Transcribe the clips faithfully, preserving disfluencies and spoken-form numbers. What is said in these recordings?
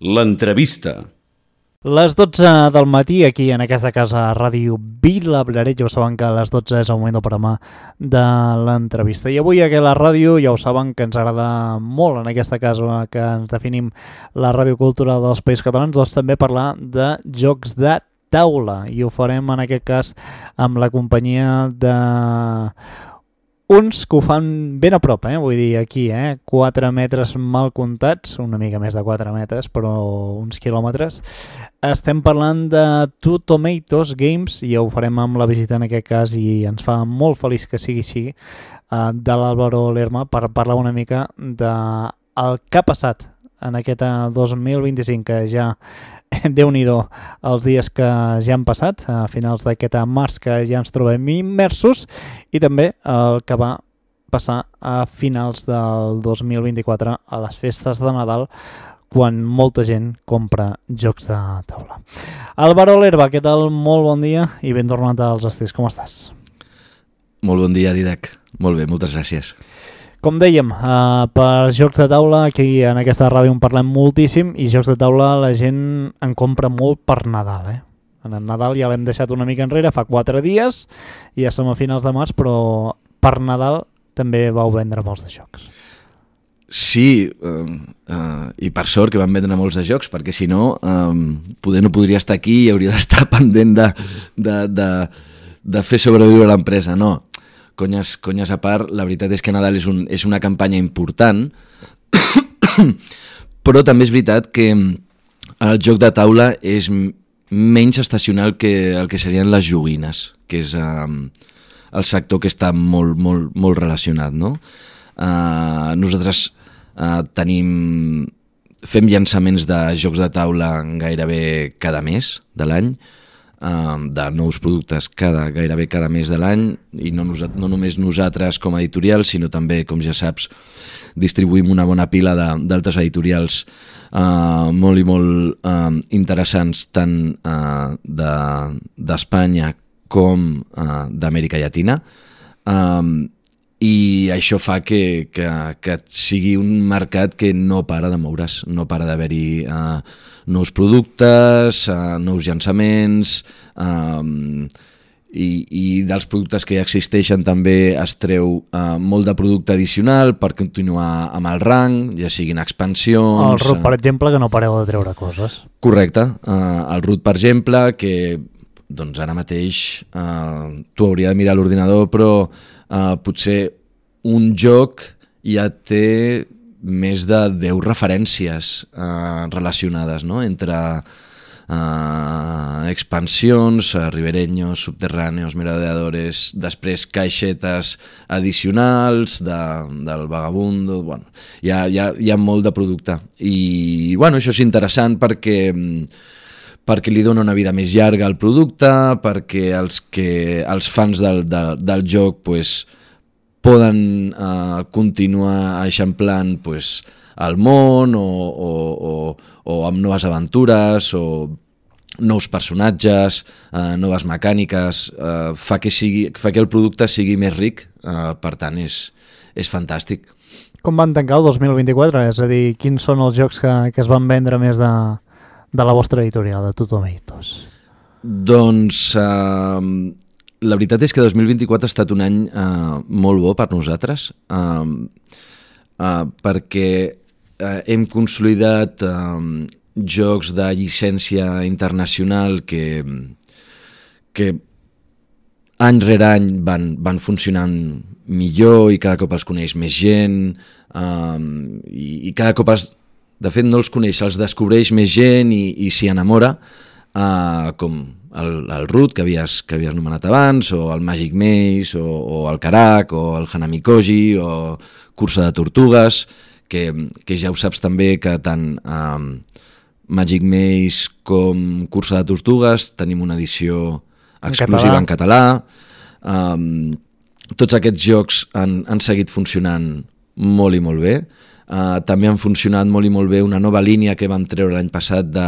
L'entrevista. Les dotze del matí, aquí en aquesta casa Ràdio Vilablareix, ja ho saben que a les dotze és el moment del programa de l'entrevista. I avui aquí a la ràdio ja ho saben que ens agrada molt en aquesta casa que ens definim la ràdio cultural dels Països Catalans, doncs també parlar de jocs de taula. I ho farem en aquest cas amb la companyia de uns que ho fan ben a prop, eh? Vull dir, aquí, eh? quatre metres mal comptats, una mica més de quatre metres, però uns quilòmetres. Estem parlant de Two Tomatoes Games i ho farem amb la visita en aquest cas i ens fa molt feliç que sigui així, eh, de l'Álvaro Lerma, per parlar una mica del que ha passat en aquest dos mil vint-i-cinc, que ja, déu-n'hi-do, els dies que ja han passat, a finals d'aquest març que ja ens trobem immersos, i també el que va passar a finals del dos mil vint-i-quatre, a les festes de Nadal, quan molta gent compra jocs de taula. Álvaro Lerma, què tal? Molt bon dia i ben tornat als estris. Com estàs? Molt bon dia, Didac. Molt bé, moltes gràcies. Com dèiem, uh, per jocs de taula, aquí en aquesta ràdio en parlem moltíssim i jocs de taula la gent en compra molt per Nadal. Eh? En el Nadal ja l'hem deixat una mica enrere, fa quatre dies, i ja som a finals de març, però per Nadal també vau vendre molts de jocs. Sí, uh, uh, i per sort que van vendre molts de jocs, perquè si no, um, poder no podria estar aquí i hauria d'estar pendent de, de, de, de fer sobreviure l'empresa. No, conyes, conyes a part, la veritat és que Nadal és, un, és una campanya important, però també és veritat que el joc de taula és menys estacional que el que serien les joguines, que és um, el sector que està molt, molt, molt relacionat, no? Uh, nosaltres uh, tenim fem llançaments de jocs de taula gairebé cada mes de l'any, uh, de nous productes cada, gairebé cada mes de l'any, i no, nos, no només nosaltres com a editorial, sinó també, com ja saps, distribuïm una bona pila d'altres editorials uh, molt i molt uh, interessants, tant uh, d'Espanya de, com uh, d'Amèrica Llatina. Um, I això fa que, que, que sigui un mercat que no para de moure's, no para d'haver-hi uh, nous productes, uh, nous llançaments, um, i, i dels productes que ja existeixen també es treu uh, molt de producte addicional per continuar amb el rang, ja siguin expansions... El Root, per exemple, que no pareu de treure coses. Correcte. Uh, el Root, per exemple, que doncs ara mateix uh, tu hauria de mirar l'ordinador, però Uh, potser un joc ja té més de deu referències uh, relacionades, no? Entre uh, expansions, uh, ribereños, subterráneos, merodeadores, després caixetes addicionals de, del vagabundo, bueno, hi ha, hi ha, hi ha molt de producte. I bueno, això és interessant perquè perquè li dona una vida més llarga al producte, perquè els, que, els fans del, de, del joc pues, poden uh, continuar eixamplant pues, el món o, o, o, o amb noves aventures o nous personatges, uh, noves mecàniques, uh, fa, que sigui, fa que el producte sigui més ric, uh, per tant és, és fantàstic. Com van tancar el dos mil vint-i-quatre? És a dir, quins són els jocs que, que es van vendre més de... de la vostra editorial, de Two Tomatoes? Doncs uh, la veritat és que dos mil vint-i-quatre ha estat un any uh, molt bo per nosaltres, uh, uh, perquè uh, hem consolidat uh, jocs de llicència internacional que, que any rere any van, van funcionant millor i cada cop els coneix més gent, uh, i, i cada cop els... De fet, no els coneix, els descobreix més gent i, i s'hi enamora, uh, com el, el Root, que havies, que havies nomenat abans, o el Magic Maze, o, o el Karak, o el Hanami Koji, o Cursa de Tortugues, que, que ja ho saps també que tant um, Magic Maze com Cursa de Tortugues tenim una edició exclusiva en català. En català. Um, tots aquests jocs han, han seguit funcionant molt i molt bé. Uh, també han funcionat molt i molt bé una nova línia que vam treure l'any passat de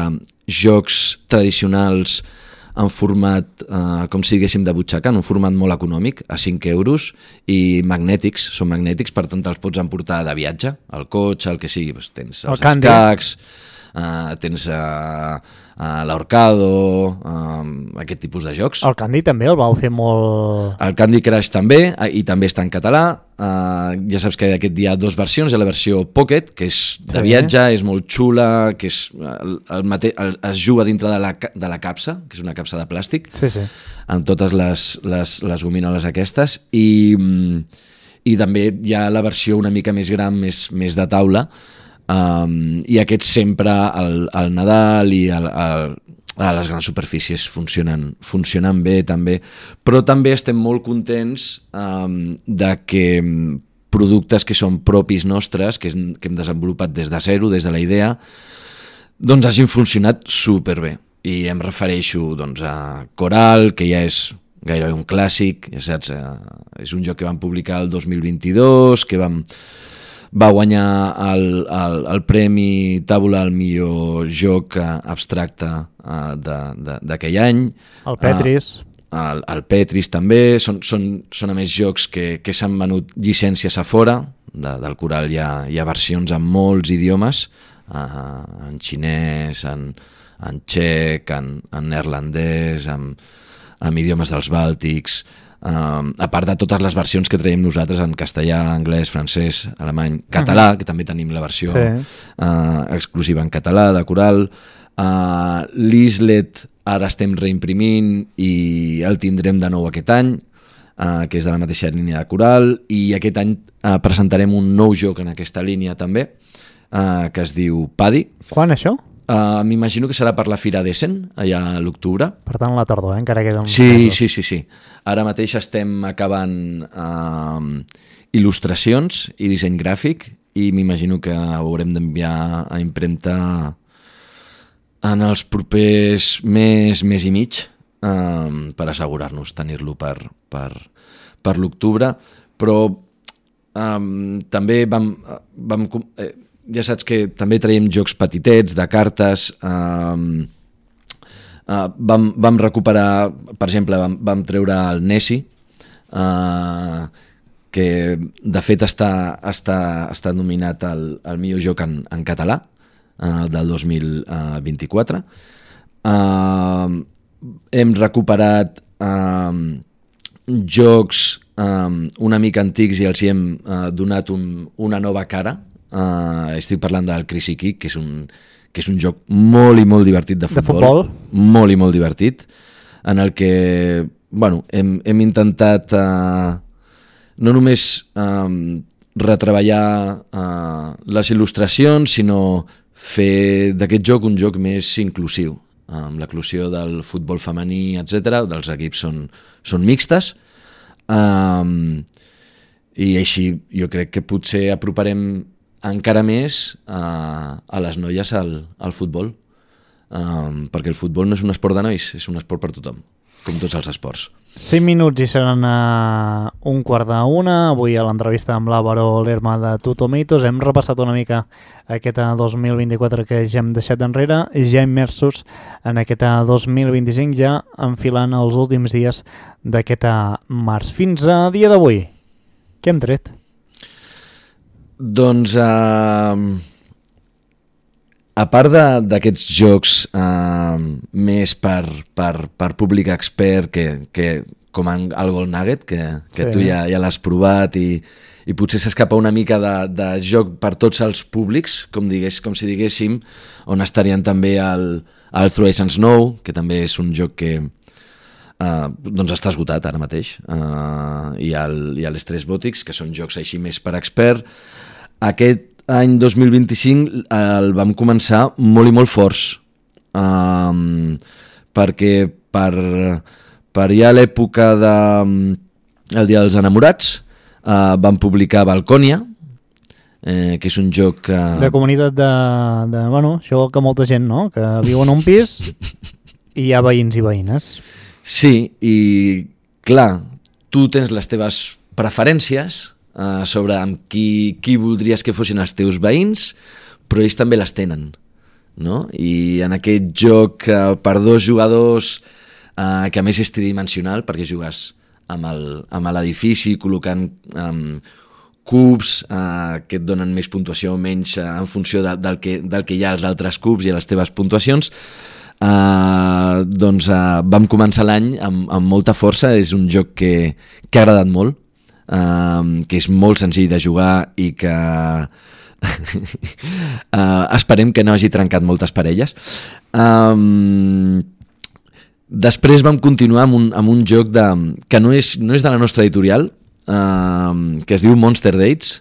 jocs tradicionals en format, uh, com si diguéssim, de butxaca, en un format molt econòmic, a cinc euros, i magnètics, són magnètics, per tant te'ls pots emportar de viatge, al cotxe, el que sigui, doncs tens els escacs, uh, tens uh, uh, l'Ahorcado, uh, aquest tipus de jocs. El Candy també el vau fer molt... El Candy Crush també, uh, i també està en català. Uh, ja saps que aquest dia hi ha dues versions, hi ha la versió Pocket, que és de viatge, és molt xula, que és, el, el mate, el, es juga dintre de la, de la capsa, que és una capsa de plàstic, sí, sí. amb totes les, les, les gominoles aquestes, i... i també hi ha la versió una mica més gran, més, més de taula, um, i aquests sempre al, al Nadal i al, al, a les grans superfícies funcionen, funcionen bé també, però també estem molt contents um, de que productes que són propis nostres, que, és, que hem desenvolupat des de zero, des de la idea, doncs hagin funcionat superbé. I em refereixo doncs, a Coral, que ja és gairebé un clàssic, ja saps, eh, és un joc que vam publicar el dos mil vint-i-dos, que vam, va guanyar el, el, el Premi Tàbula al millor joc eh, abstracte eh, d'aquell any. El Petris. Eh, el, el Petris també, són, són, són a més jocs que, que s'han venut llicències a fora, de, del Coral hi ha, hi ha versions en molts idiomes, eh, en xinès, en, en txec, en, en neerlandès, en amb idiomes dels bàltics, um, a part de totes les versions que traiem nosaltres en castellà, anglès, francès, alemany, català, uh-huh. que també tenim la versió sí. uh, exclusiva en català de Coral. Uh, L'Islet ara estem reimprimint i el tindrem de nou aquest any, uh, que és de la mateixa línia de Coral, i aquest any uh, presentarem un nou joc en aquesta línia també, uh, que es diu Paddy. Quan això? Uh, m'imagino que serà per la Fira d'Essen, allà a l'octubre. Per tant, la tardor, eh? Encara queda un... Sí, sí, sí, sí. Ara mateix estem acabant uh, il·lustracions i disseny gràfic i m'imagino que ho haurem d'enviar a impremta en els propers mes, mes i mig, uh, per assegurar-nos tenir-lo per, per, per l'octubre. Però um, també vam... vam eh, ja saps que també traiem jocs petitets, de cartes, eh, eh, vam, vam recuperar, per exemple, vam, vam treure el Nessie, eh, que de fet està, està, està nominat al, al millor joc en, en català, eh, del dos mil vint-i-quatre. Eh, hem recuperat eh, jocs eh, una mica antics i els hi hem eh, donat un, una nova cara. Uh, estic parlant del Crazy Kick, que és un, que és un joc molt i molt divertit de futbol, de futbol? molt i molt divertit, en el que bueno, hem, hem intentat uh, no només um, retreballar uh, les il·lustracions, sinó fer d'aquest joc un joc més inclusiu, amb l'inclusió del futbol femení, etcètera. Els equips són, són mixtes, um, i així jo crec que potser aproparem encara més uh, a les noies al, al futbol, um, perquè el futbol no és un esport de nois, és un esport per tothom, com tots els esports. cinc minuts i seran uh, un quart d'una. Avui a l'entrevista amb l'Àvaro Lerma de Two Tomatoes hem repassat una mica aquest dos mil vint-i-quatre que ja hem deixat enrere, ja immersos en aquest dos mil vint-i-cinc, ja enfilant els últims dies d'aquest març. Fins a dia d'avui, què hem tret? Doncs, uh, a part d'aquests jocs uh, més per, per, per públic expert, que, que, com en el Gold Nugget, que, que sí. Tu ja, ja l'has provat i, i potser s'escapa una mica de, de joc per tots els públics, com, digués, com si diguéssim, on estarien també el, el Through Ice and Snow, que també és un joc que uh, doncs està esgotat ara mateix, uh, i el, i l'Stress Botics, que són jocs així més per expert. Aquest any dos mil vint-i-cinc el vam començar molt i molt forts, um, perquè per, per ja l'època de el Dia dels Enamorats uh, vam publicar Balcònia, eh, que és un joc que... De comunitat de, de... Bueno, això que molta gent, no?, que viu en un pis i hi ha veïns i veïnes. Sí, i clar, tu tens les teves preferències Uh, sobre amb qui, qui voldries que fossin els teus veïns, però ells també les tenen, no? I en aquest joc uh, per dos jugadors, uh, que a més és tridimensional, perquè jugues amb el, amb l'edifici, col·locant um, cubs uh, que et donen més puntuació o menys uh, en funció de, del, que, del que hi ha als altres cubs i a les teves puntuacions. Uh, doncs uh, vam començar l'any amb, amb molta força. És un joc que, que ha agradat molt, uh, que és molt senzill de jugar i que uh, esperem que no hagi trencat moltes parelles. Um, després vam continuar amb un, amb un joc de, que no és, no és de la nostra editorial, uh, que es diu Monster Dates,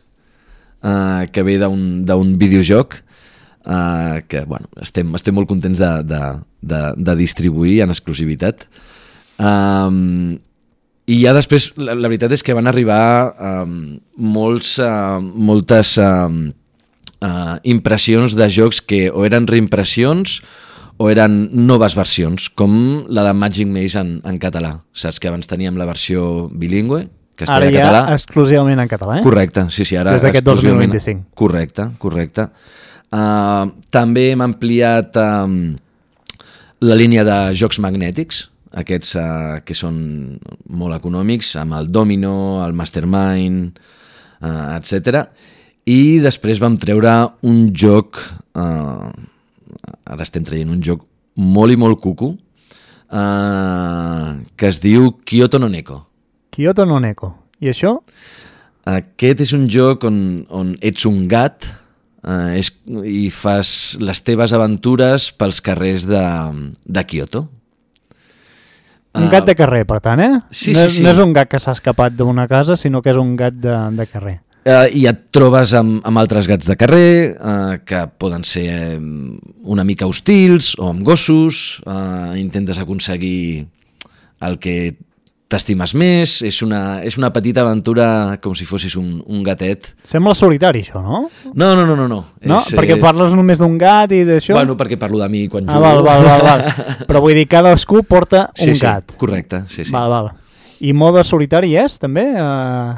uh, que ve d'un videojoc uh, que bueno, estem, estem molt contents de, de, de, de distribuir en exclusivitat. Um, i ja després la, la veritat és que van arribar um, molts, uh, moltes um, uh, impressions de jocs que o eren reimpressions o eren noves versions, com la de Magic Maze en, en català. Saps que abans teníem la versió bilingüe, castellà-català. Ara ja exclusivament en català, eh? Correcte, sí, sí, ara des d'aquest dos mil vint-i-cinc. Correcte, correcte. Uh, també hem ampliat um, la línia de jocs magnètics, aquests uh, que són molt econòmics, amb el Domino, el Mastermind, uh, etcètera. I després vam treure un joc... Uh, ara estem traient un joc molt i molt cucu, uh, que es diu Kyoto no Neko. Kyoto no Neko. I això? Aquest és un joc on, on ets un gat uh, és, i fas les teves aventures pels carrers de, de Kyoto. Un gat de carrer, per tant, eh? Sí, no, sí, sí. No és un gat que s'ha escapat d'una casa, sinó que és un gat de, de carrer. Uh, I et trobes amb, amb altres gats de carrer uh, que poden ser um, una mica hostils o amb gossos, uh, intentes aconseguir el que t'estimes més, és una, és una petita aventura com si fossis un, un gatet. Sembla solitari això, no? No, no, no, no. No, no? És, perquè parles només d'un gat i d'això? Bueno, perquè parlo de mi quan ah, jugo. Val, val, val, val. Però vull dir, cadascú porta sí, un sí, gat. Correcte, sí, sí. Val, val. I mode solitari és, també? Uh...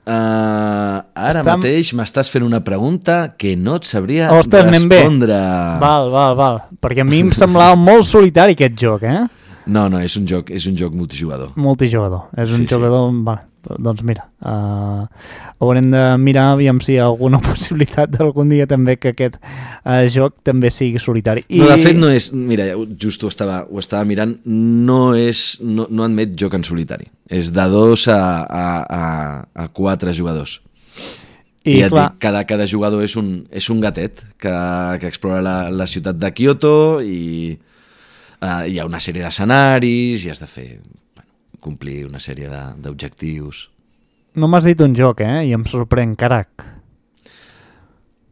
Uh, ara Estam... mateix m'estàs fent una pregunta que no et sabria Ostres, respondre. Val, val, val. Perquè a mi em semblava molt solitari aquest joc, eh? No, no, és un joc, és un joc multijugador. Multijugador. És un sí, jugador... Sí. Vale, doncs mira, uh, haurem de mirar aviam si hi ha alguna possibilitat d'algun dia també que aquest uh, joc també sigui solitari. I... No, de fet no és... Mira, just ho estava, ho estava mirant, no, és, no, no admet joc en solitari. És de dos a, a, a, a quatre jugadors. I, I ja clar... dic, cada, cada jugador és un, és un gatet que, que explora la, la ciutat de Kyoto i uh, hi ha una sèrie d'escenaris i has de fer... complir una sèrie d'objectius. No m'has dit un joc, eh? I em sorprèn, carac.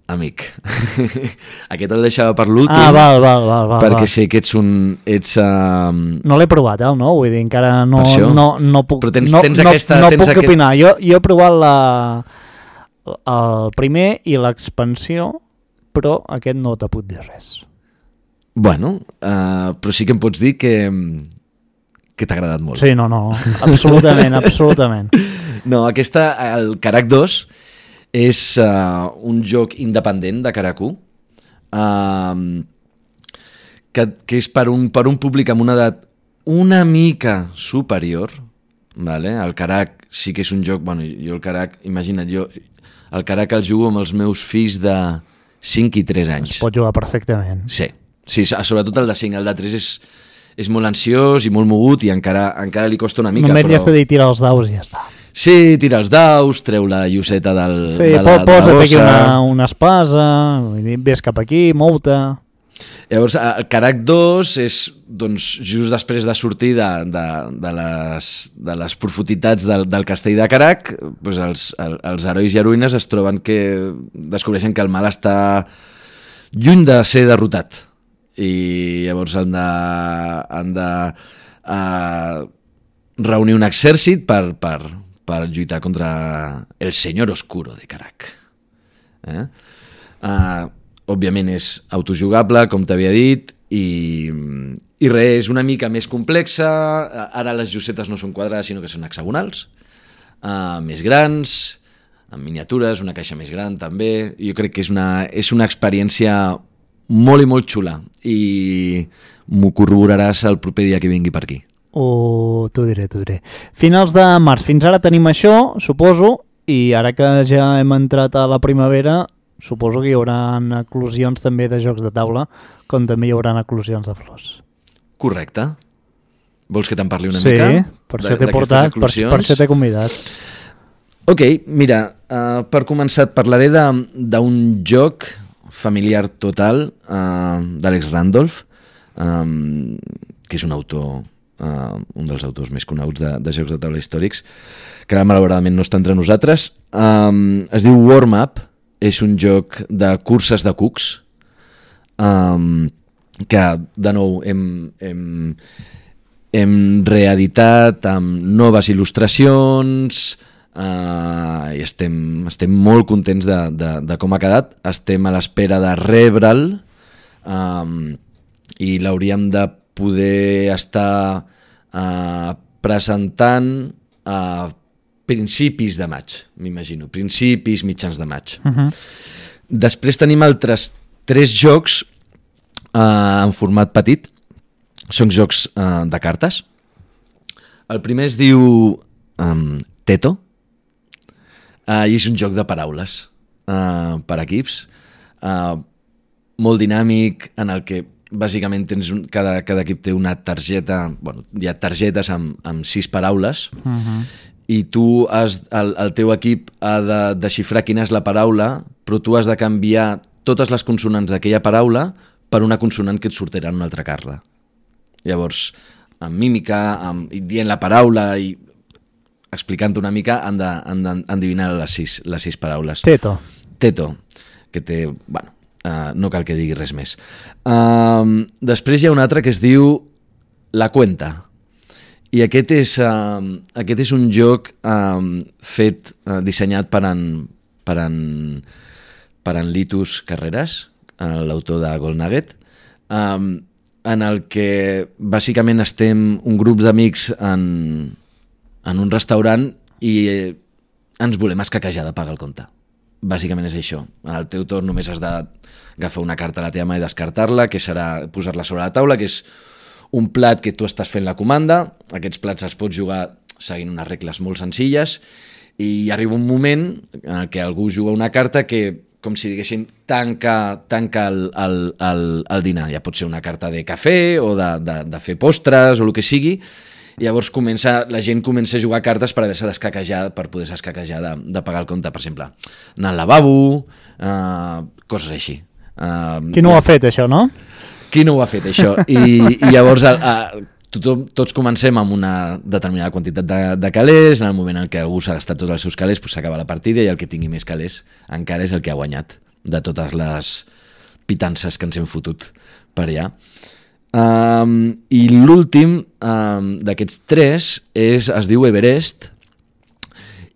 Amic. Aquest el deixava per l'últim. Ah, val, val, val, val. Perquè val. sé que ets un... Ets, uh... No l'he provat, eh, no? Vull dir, encara no, no, no puc, Però tens, no, tens aquesta, no, no tens puc aquest... opinar. Jo, jo he provat la, el primer i l'expansió, però aquest no t'ha pot dir res. Bueno, uh, però sí que em pots dir que... que t'ha agradat molt. Sí, no, no, absolutament, absolutament. No, aquesta, el Karak dos, és uh, un joc independent de Karaku, uh, que, que és per un, per un públic amb una edat una mica superior, vale? El Karak sí que és un joc, bueno, jo el Karak, imagina't, jo el Karak el jugo amb els meus fills de cinc i tres anys. Es pot jugar perfectament. Sí, sí, sobretot el de cinc, el de tres és... és molt ansiós i molt mogut i encara, encara li costa una mica. Només però... li has de dir tirar els daus i ja està. Sí, tira els daus, treu la lloseta del, sí, de la, posa't de la aquí una, una espasa, ves cap aquí, mou-te. Llavors, el Karak dos és doncs, just després de sortir de, de, de, les, de les profunditats del, del castell de Karak, doncs els, el, els herois i heroïnes es troben que descobreixen que el mal està lluny de ser derrotat. I llavors han de, han de uh, reunir un exèrcit per, per, per lluitar contra el senyor oscuro de Karak. Eh? Uh, òbviament és autojugable, com t'havia dit, i, i res, és una mica més complexa. Ara les llosetes no són quadrades, sinó que són hexagonals, uh, més grans, amb miniatures, una caixa més gran també. Jo crec que és una, és una experiència molt i molt xula i m'ho corroboraràs el proper dia que vingui per aquí. Oh, t'ho diré, t'ho diré. Finals de març, fins ara tenim això, suposo, i ara que ja hem entrat a la primavera, suposo que hi haurà eclosions també de jocs de taula, com també hi haurà eclosions de flors. Correcte. Vols que te'n parli una sí, mica? Sí, per això t'he portat, per, per això t'he convidat. Ok, mira, uh, per començar et parlaré d'un joc familiar total uh, d'Alex Randolph, um, que és un autor, uh, un dels autors més coneguts de, de jocs de taula històrics, que ara malauradament no està entre nosaltres. Um, es diu Warm Up, és un joc de curses de cucs, um, que de nou hem, hem, hem reeditat amb noves il·lustracions, uh, i estem, estem molt contents de, de, de com ha quedat. Estem a l'espera de rebre'l, um, i l'hauríem de poder estar uh, presentant a principis de maig, m'imagino, principis, mitjans de maig. Uh-huh. Després tenim altres tres jocs uh, en format petit, són jocs uh, de cartes. El primer es diu um, Teto, uh, i és un joc de paraules uh, per equips, uh, molt dinàmic, en el que bàsicament tens un, cada, cada equip té una targeta, bueno, hi ha targetes amb, amb sis paraules, uh-huh. i tu has, el, el teu equip ha de desxifrar quina és la paraula, però tu has de canviar totes les consonants d'aquella paraula per una consonant que et sortirà en una altra carta. Llavors, amb mímica, amb, dient la paraula i explicant una mica, han d'endevinar les sis, les sis paraules. Teto. Teto, que té... Bueno, uh, no cal que digui res més. Uh, després hi ha un altre que es diu La Cuenta. I aquest és, uh, aquest és un joc uh, fet, uh, dissenyat per en, per en, per en Litus Carreras, uh, l'autor de Gold Nugget, um, en el que bàsicament estem un grup d'amics en, en un restaurant i ens volem escaquejar de pagar el compte. Bàsicament és això. Al teu torn només has d'agafar una carta a la teva mà i descartar-la, que serà posar-la sobre la taula, que és un plat que tu estàs fent la comanda. Aquests plats els pots jugar seguint unes regles molt senzilles i arriba un moment en el que algú juga una carta que, com si diguéssim, tanca, tanca el, el, el, el dinar. Ja pot ser una carta de cafè o de, de, de fer postres o el que sigui. I llavors comença, la gent comença a jugar cartes per haver-se d'escaquejar, per poder-se escaquejar de, de pagar el compte, per exemple, anar al lavabo, uh, coses així. Uh, Qui no ho ha fet, això, no? Qui no ho ha fet, això? I, i llavors a, a, tothom, tots comencem amb una determinada quantitat de, de calés, en el moment en què algú s'ha gastat tots els seus calés, doncs s'acaba la partida i el que tingui més calés encara és el que ha guanyat de totes les pitances que ens hem fotut per allà. Um, I l'últim um, d'aquests tres és, es diu Everest,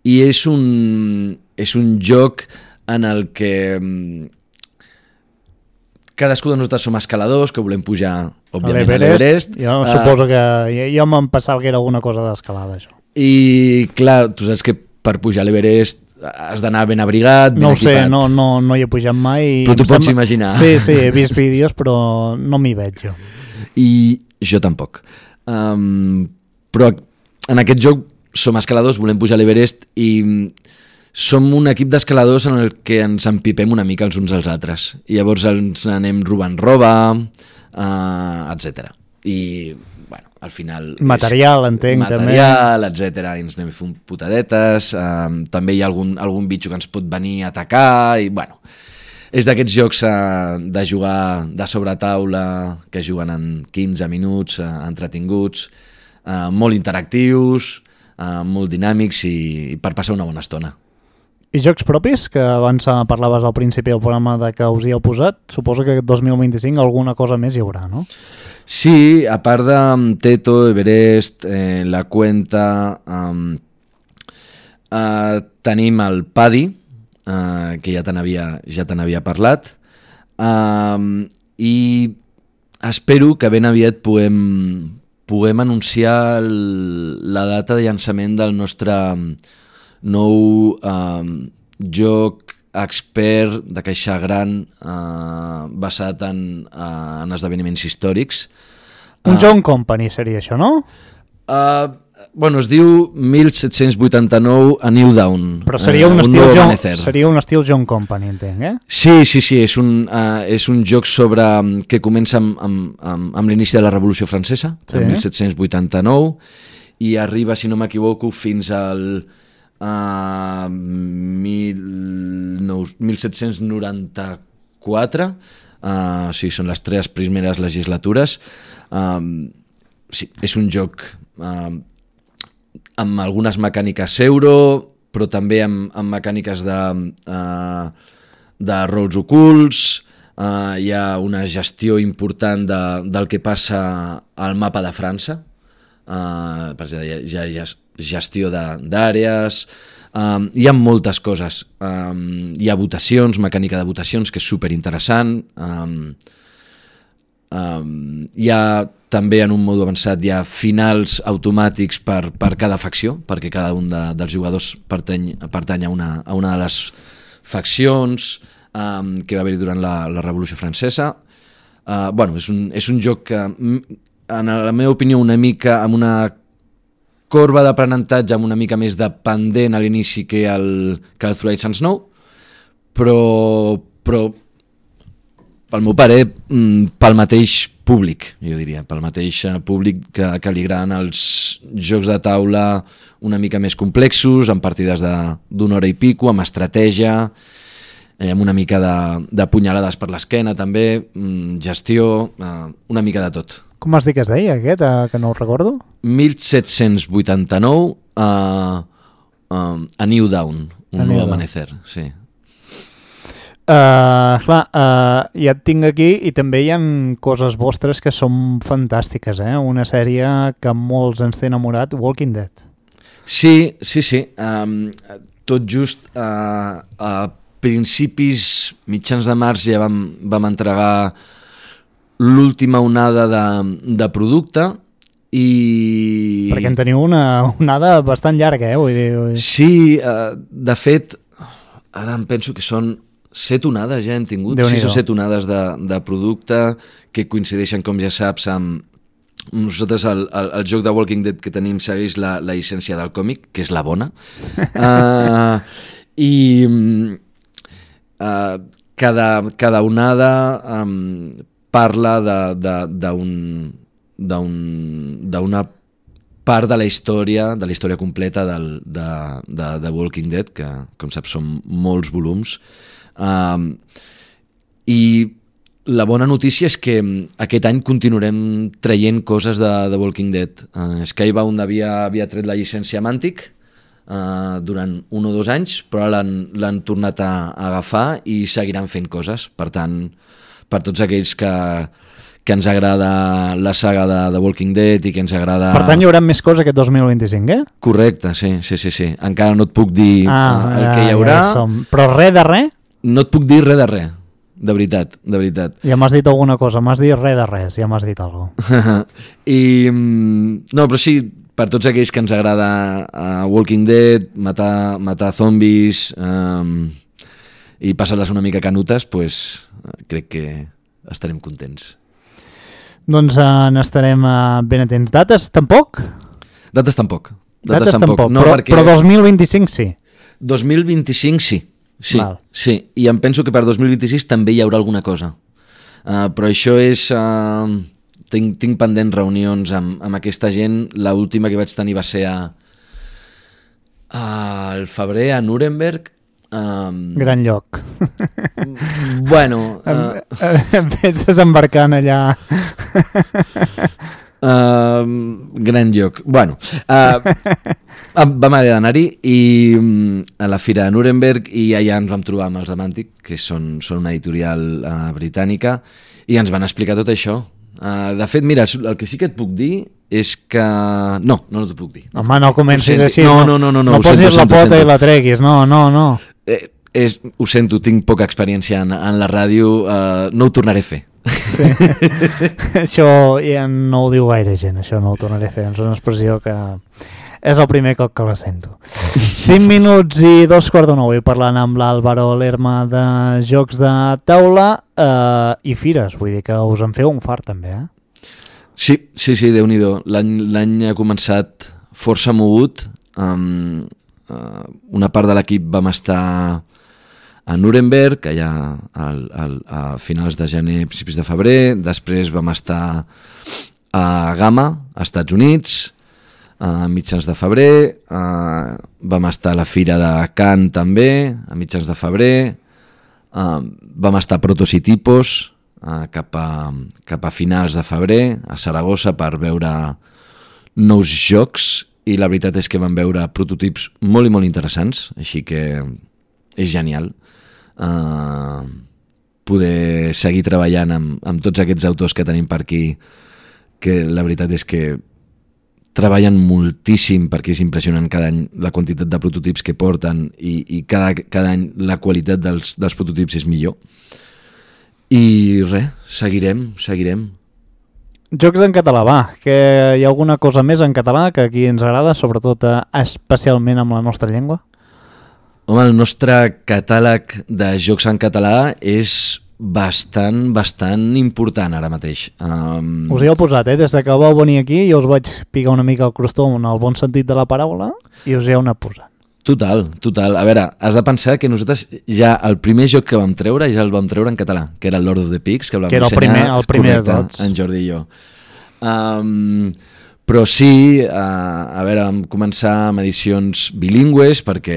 i és un, és un joc en el que um, cadascú de nosaltres som escaladors que volem pujar, òbviament, a l'Everest. Jo uh, suposo que... Jo, jo me'n pensava que era alguna cosa d'escalada, això. I, clar, tu saps que per pujar a l'Everest has d'anar ben abrigat, ben no equipat. No ho sé, no, no, no hi he pujat mai. Però tu pots sembla... imaginar. Sí, sí, he vist vídeos, però no m'hi veig jo. I jo tampoc. Um, però en aquest joc som escaladors, volem pujar a l'Everest i... som un equip d'escaladors en el que ens empipem una mica els uns als altres. I llavors ens anem robant roba, uh, etcètera. I, bueno, al final... Material, entenc, material, també. Material, etcètera. I ens anem fent putadetes. Uh, també hi ha algun, algun bitxo que ens pot venir a atacar. I, bueno, és d'aquests jocs uh, de jugar de sobretaula, que juguen en quinze minuts, uh, entretinguts, uh, molt interactius, uh, molt dinàmics i, i per passar una bona estona. I jocs propis, que abans parlaves al principi del programa de que us hi heu posat, suposo que dos mil vint-i-cinc alguna cosa més hi haurà, no? Sí, a part de Teto, Everest, eh, La Cuenta, um, uh, tenim el Paddy, uh, que ja te n'havia ja te n'havia parlat, um, i espero que ben aviat puguem, puguem anunciar el, la data de llançament del nostre nou um, joc expert de caixa gran uh, basat en, uh, en esdeveniments històrics. Un uh, John Company seria això, no? Uh, bueno, es diu mil set-cents vuitanta-nou A New Dawn. Però seria un, uh, estil, un John, seria un estil John Company, entenc, eh? Sí, sí, sí, és un, uh, és un joc sobre, que comença amb, amb, amb, amb l'inici de la Revolució Francesa, sí. En mil set-cents vuitanta-nou, i arriba, si no m'equivoco, fins al uh, mil set-cents noranta-quatre, uh, sí, són les tres primeres legislatures. Um, sí, és un joc uh, amb algunes mecàniques euro, però també amb, amb mecàniques de, uh, de rols ocults, uh, hi ha una gestió important de, del que passa al mapa de França, uh, per exemple, hi ha, hi ha gestió d'àrees, um, hi ha moltes coses, um, hi ha votacions, mecànica de votacions, que és superinteressant, um, um, hi ha també en un mode avançat hi ha finals automàtics per, per cada facció, perquè cada un de, dels jugadors pertany, pertany a, una, a una de les faccions um, que va haver-hi durant la, la Revolució Francesa. Uh, bueno, és un, és un joc que, en la meva opinió, una mica amb una corba d'aprenentatge amb una mica més de pendent a l'inici que el, que el Through Ice and Snow, però, però pel meu pare, pel mateix públic, jo diria, pel mateix públic que, que li agraden els jocs de taula una mica més complexos, amb partides d'una hora i pico, amb estratègia, eh, amb una mica de, de punyalades per l'esquena també, gestió, eh, una mica de tot. Com has dit que es deia aquest, eh, que no ho recordo? mil set-cents vuitanta-nou uh, uh, A New Dawn, un nou amanecer, sí. Uh, clar, uh, ja et tinc aquí i també hi ha coses vostres que són fantàstiques, eh? Una sèrie que molts ens té enamorat, Walking Dead. Sí, sí, sí. Um, tot just uh, a principis, mitjans de març ja vam, vam entregar l'última onada de, de producte i... Perquè en teniu una onada bastant llarga, eh? Vull dir, vull dir. Sí, uh, de fet, ara em penso que són set onades ja hem tingut, sis o set onades de, de producte que coincideixen, com ja saps, amb nosaltres el, el, el joc de Walking Dead que tenim segueix la, la llicència del còmic, que és la bona. uh, I uh, cada, cada onada um, parla d'una part de la història, de la història completa del, de, de, de Walking Dead, que, com saps, són molts volums. Uh, i la bona notícia és que aquest any continuarem traient coses de, de Walking Dead. uh, Skybound havia, havia tret la llicència Mantic uh, durant un o dos anys, però ara l'han tornat a, a agafar i seguiran fent coses. Per tant, per tots aquells que, que ens agrada la saga de, de Walking Dead i que ens agrada... Per tant, hi haurà més coses aquest dos mil vint-i-cinc, eh? Correcte, sí, sí, sí, sí. Encara no et puc dir ah, uh, el que hi haurà. Ja però res de res? No et puc dir res de res, de veritat, de veritat. Ja m'has dit alguna cosa, m'has dit res de res, ja m'has dit alguna cosa. I, no, però sí, per tots aquells que ens agrada uh, Walking Dead, matar, matar zombis um, i passar-les una mica canutes, pues, uh, crec que estarem contents. Doncs uh, n'estarem uh, ben atents. Dates tampoc? Dates tampoc. Dates, Dates tampoc, no, però, perquè... però dos mil vint-i-cinc sí. dos mil vint-i-cinc sí. Sí, Val. sí, i em penso que per dos mil vint-i-sis també hi haurà alguna cosa. Uh, però això és... Uh, tinc, tinc pendents reunions amb, amb aquesta gent. L'última que vaig tenir va ser a, a, al febrer a Nuremberg. Um, Gran lloc. Bueno... Uh, em penses desembarcant allà... Uh, gran lloc. Bueno, uh, vam haver d'anar-hi i um, a la fira de Nuremberg i allà ens vam trobar amb els de Mantic, que són, són una editorial uh, britànica, i ens van explicar tot això. Uh, de fet, mira, el que sí que et puc dir és que... No, no, no t'ho puc dir. Home, no comencis així. No, no, no, no, no, no posis sento, la sento, pota sento. i la treguis, no, no, no. Eh, és, ho sento, tinc poca experiència en, en la ràdio, uh, no ho tornaré a fer. Sí. Això ja no ho diu gaire gent, això no ho tornaré a fer, és una expressió que és el primer cop que la sento. cinc minuts i dos quarts de nou i parlant amb l'Àlvaro Lerma de jocs de taula eh, i fires, vull dir que us en feu un fart també, eh? Sí, sí, sí, Déu-n'hi-do. L'any, l'any ha començat força mogut. Um, uh, una part de l'equip vam estar a Nuremberg, allà al, al, a finals de gener, principis de febrer. Després vam estar a Gamma, als Estats Units, a mitjans de febrer. Uh, vam estar a la Fira de Cannes també, a mitjans de febrer. Uh, vam estar a Protos i Tipos, uh, cap, a, cap a finals de febrer, a Saragossa, per veure nous jocs, i la veritat és que vam veure prototips molt i molt interessants, així que és genial uh, poder seguir treballant amb, amb tots aquests autors que tenim per aquí, que la veritat és que treballen moltíssim, perquè és impressionant cada any la quantitat de prototips que porten, i, i cada, cada any la qualitat dels, dels prototips és millor. I res, seguirem, seguirem. Jocs en català, va, que hi ha alguna cosa més en català que aquí ens agrada, sobretot eh, especialment amb la nostra llengua? Home, el nostre catàleg de jocs en català és bastant, bastant important ara mateix. Um... Us hi heu posat, eh? Des de que vau venir aquí jo us vaig picar una mica el crostó en el bon sentit de la paraula i us hi heu anat posant. Total, total. A veure, has de pensar que nosaltres ja el primer joc que vam treure ja el vam treure en català, que era el Lord of the Pigs, que el vam que era el dissenyar, primer, el primer correcte, de tots. en Jordi i jo. Um, però sí, uh, a veure, vam començar amb edicions bilingües perquè,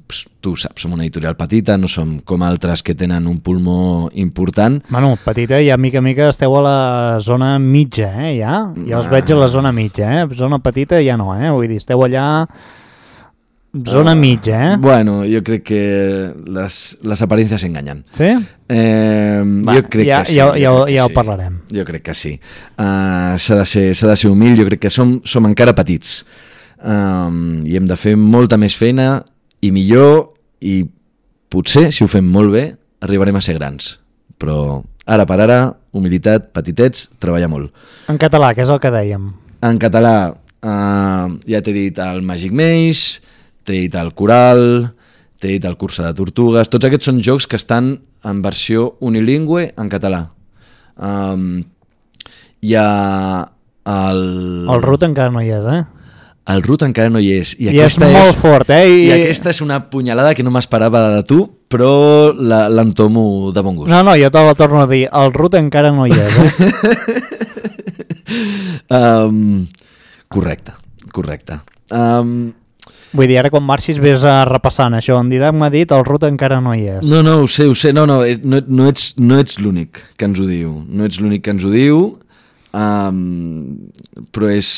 pues, tu saps, som una editorial petita, no som com altres que tenen un pulmó important. Bueno, petita, ja mica mica esteu a la zona mitja, eh, ja? Ja us veig a la zona mitja, eh? Zona petita ja no, eh? Vull dir, esteu allà... Zona uh, mitja, eh? Bueno, jo crec que les, les aparències enganyen. Sí? Eh, Va, jo crec ja, que sí. Ja, ja, crec que ja sí. ho parlarem. Jo crec que sí. Uh, s'ha de ser, s'ha de ser humil, jo crec que som, som encara petits. Um, I hem de fer molta més feina i millor, i potser, si ho fem molt bé, arribarem a ser grans. Però ara per ara, humilitat, petitets, treballar molt. En català, que és el que dèiem. En català, uh, ja t'he dit el Magic Maze, t'he dit el Coral, t'he dit el Cursa de Tortugues. Tots aquests són jocs que estan en versió unilingüe en català. Um, hi ha el... El Root encara no hi és, eh? El Root encara no hi és. I, I aquesta és molt és, fort, eh? I... I aquesta és una punyalada que no m'esperava de tu, però l'entomo de bon gust. No, no, jo te la torno a dir. El Root encara no hi és, eh? um, correcte, correcte. Um, Vull dir, ara quan marxis ves a repassant això. En Didac m'ha dit el Root encara no hi és. No, no, ho sé, ho sé. No, no, és, no, no ets, no ets l'únic que ens ho diu. No ets l'únic que ens ho diu, um, però és...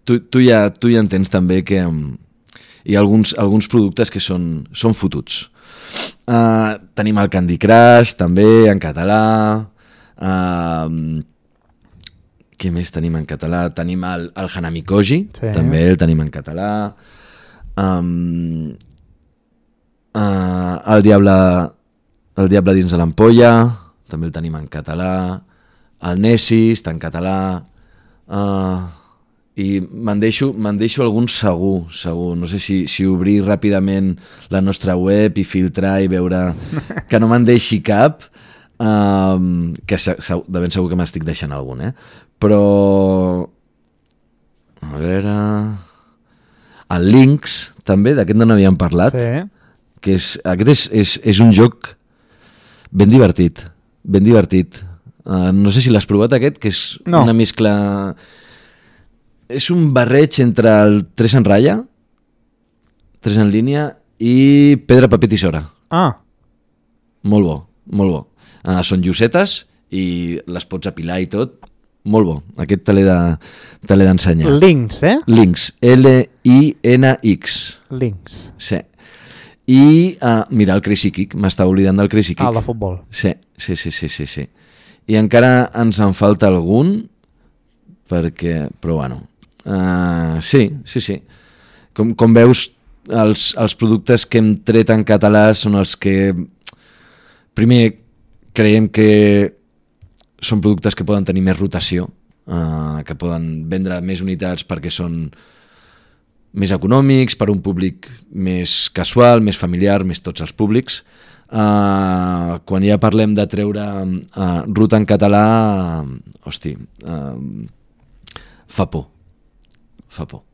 Tu, tu, ja, tu ja entens també que um, hi ha alguns, alguns productes que són, són fotuts. Uh, tenim el Candy Crush, també, en català. Uh, què més tenim en català? Tenim el, el Hanami Koji, sí. També el tenim en català. Um, uh, el Diable el Diable dins de l'ampolla també el tenim en català, el Nessis està en català, uh, i me'n deixo, me'n deixo algun segur, segur. No sé si, si obrir ràpidament la nostra web i filtrar i veure que no me'n deixi cap, um, que se, se, de ben segur que m'estic deixant algun, eh? Però a veure... El Lynx, també, d'aquest no n'havíem parlat, sí. Que és, aquest és, és, és un joc ben divertit, ben divertit. Uh, no sé si l'has provat aquest, que és no. Una mescla... És un barreig entre el tres en ratlla, tres en línia, i pedra, paper, tisora. Ah. Molt bo, molt bo. Uh, són llosetes i les pots apilar i tot. Molt bo, aquest te l'he de, te l'he d'ensenyar. Lynx, eh? Lynx, L I N X. Lynx. Sí. I, uh, mira, el Crazy Kick, m'estava oblidant del Crazy Kick. Ah, el de futbol. Sí, sí, sí, sí, sí, sí. I encara ens en falta algun, perquè, però bueno, uh, sí, sí, sí. Com, com veus, els, els productes que hem tret en català són els que, primer, creiem que són productes que poden tenir més rotació, uh, que poden vendre més unitats perquè són més econòmics, per un públic més casual, més familiar, més tots els públics. Uh, quan ja parlem de treure uh, ruta en català, uh, hosti, uh, fa por. Fa por.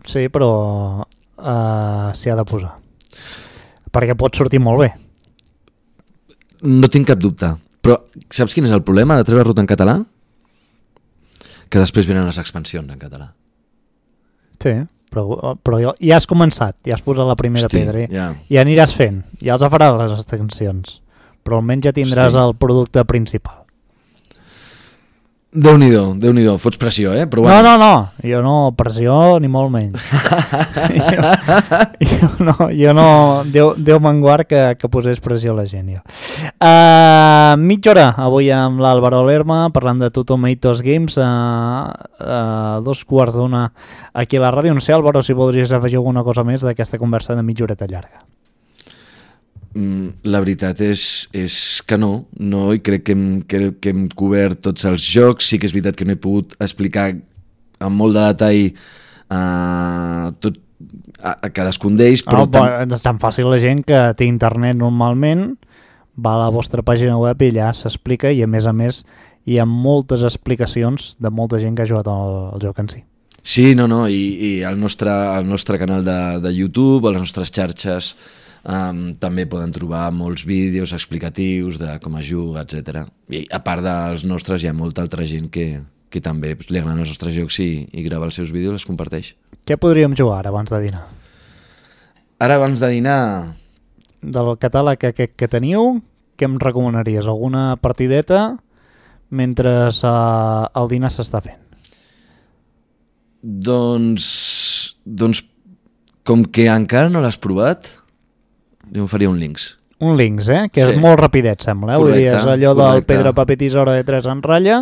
Sí, però uh, s'hi ha de posar. Perquè pot sortir molt bé. No tinc cap dubte. Però saps quin és el problema de treure ruta en català? Que després venen les expansions en català. Sí, però, però ja has començat, ja has posat la primera Hosti, pedra. ja. I aniràs fent, ja els faràs les extensions. Però almenys ja tindràs Hosti. el producte principal. Déu-n'hi-do, Déu-n'hi-do, fots pressió, eh? Però No, bueno. no, no, jo no, pressió ni molt menys. jo, jo no, jo no Déu, Déu me'n guard que, que posés pressió a la gent, jo. Uh, mitja hora, avui amb l'Àlvaro Lerma, parlant de Two Tomatoes Games, uh, uh, dos quarts d'una aquí a la ràdio. No sé, Àlvaro, si voldries afegir alguna cosa més d'aquesta conversa de mitja horeta llarga. La veritat és, és que no, no, i crec que hem, que, que hem cobert tots els jocs. Sí que és veritat que no he pogut explicar amb molt de detall uh, tot, a, a cadascun d'ells, però... No, tam... És tan fàcil la gent que té internet normalment, va a la vostra pàgina web i allà s'explica, i a més a més hi ha moltes explicacions de molta gent que ha jugat al, al joc en si. Sí, no, no, i, i el, nostre, el nostre canal de, de YouTube, a les nostres xarxes, Um, també poden trobar molts vídeos explicatius de com es juga, etcètera. I a part dels nostres hi ha molta altra gent que, que també li agraden els nostres jocs i, i grava els seus vídeos i els comparteix. Què podríem jugar ara abans de dinar? Ara abans de dinar... Del catàleg aquest que teniu, què em recomanaries? Alguna partideta mentre uh, el dinar s'està fent? Doncs... Doncs com que encara no l'has provat... Jo em faria un Lynx. Un Lynx, eh? Que Sí. és molt rapidet, sembla. Eh? Vull dir, és allò del correcte. pedra, paper, tisora de tres en ratlla.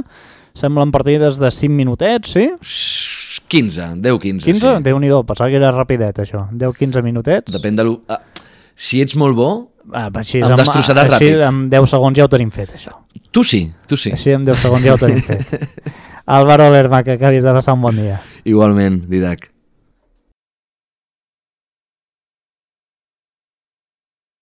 Semblen partides de cinc minutets, sí? quinze, deu quinze, quinze? sí. Déu-n'hi-do, pensava que era rapidet, això. deu quinze minutets. Depèn de lo... Ah, si ets molt bo, Ah, així, em destrossaràs així, ràpid. en deu segons ja ho tenim fet, això. tu sí, tu sí. Així en deu segons ja ho tenim fet. Álvaro Lerma, que acabis de passar un bon dia. Igualment, Didac.